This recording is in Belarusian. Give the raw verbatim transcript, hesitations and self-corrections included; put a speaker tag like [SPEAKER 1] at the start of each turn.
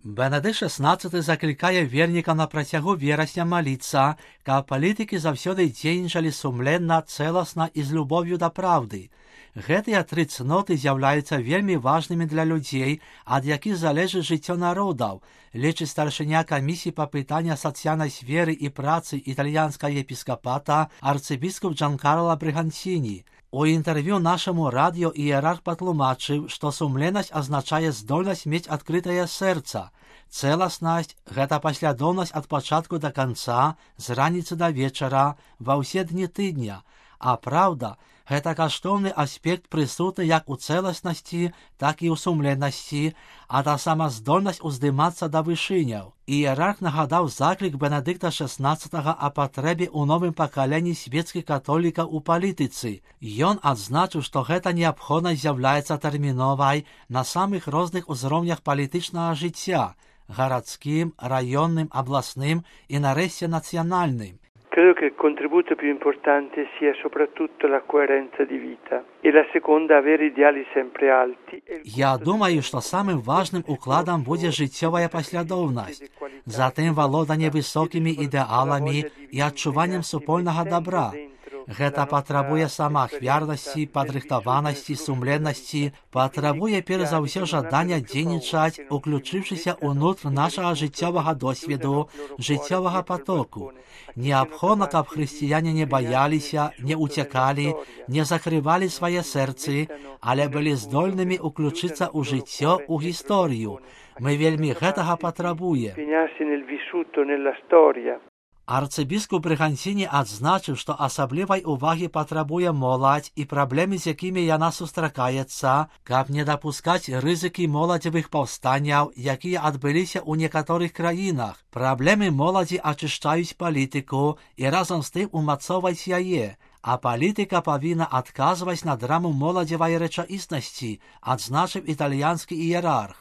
[SPEAKER 1] Бенедыкт шестнадцаты заклікае верніка на працягу верасня маліцца, каб палітыкі заўсёды дзейнічалі сумленна, цэласна і з любов'ю да праўды. Гэтыя тры цноты з'яўляюцца вельмі важнымі для людзей, ад якіх залежыць жыццё народаў, лічыць старшыня камісіі па пытаннях сацыяльнай сферы і працы італьянскага епіскапата арцыбіскуп Джанкарло Брыганціні. У інтэрв'ю нашаму радыё іерарх патлумачыў, што сумленнасць азначае здольнасць мець адкрытае сэрца. Цэласнасць – гэта паслядоўнасць ад пачатку да канца, з раніцы да вечара, ва ўсе дні тыдня. А праўда – гэта каштоўны аспект прысутны як у цэласнасці, так і ў сумленнасці, а таксама здольнасць уздымацца да вышыняў. Іерарх нагадаў заклік Бенедыкта шестнадцатага о патрэбе ў новым пакаленні свецкіх католікаў у палітыцы. Ён адзначыў, што гэта неабходнасць з'яўляецца тэрміновай на самых розных узроўнях палітычнага жыцця – гарадскім, раённым, абласным і нарэшце нацыянальным.
[SPEAKER 2] Credo che il contributo più importante sia soprattutto la coerenza di vita e la seconda avere ideali sempre alti.
[SPEAKER 1] Я думаю, што самым важным укладам будзе жыццёвая паслядоўнасць, затым валоданне высокімі ідэаламі і адчуваннем супольнага добра. Гэта патрабуе самаахвярнасці, падрыхтаванасці, сумленнасці, патрабуе перш за ўсё жадання дзейнічаць, уключыўшыся ўнутр нашага жыццёвага досведу, жыццёвага потоку. Неабходна, каб хрысціяне не баяліся, не уцякалі, не закрывалі свае сэрцы, але былі здольнымі уключыцца ў жыццё, у гісторыю. Мы вельмі гэтага патрабуем. Арцыбіскуп Брыганціні адзначыў, што асаблівай увагі патрабуе моладзь і праблемы, з якімі яна сустракаецца, каб не дапускаць рызыкі моладзевых паўстанняў, якія адбыліся ў некаторых краінах. Праблемы моладзі ачышчаюць палітыку і разам з тым умацоўваць яе, а палітыка павінна адказваць на драму моладзевай рэчаіснасці, адзначыў італьянскі іерарх.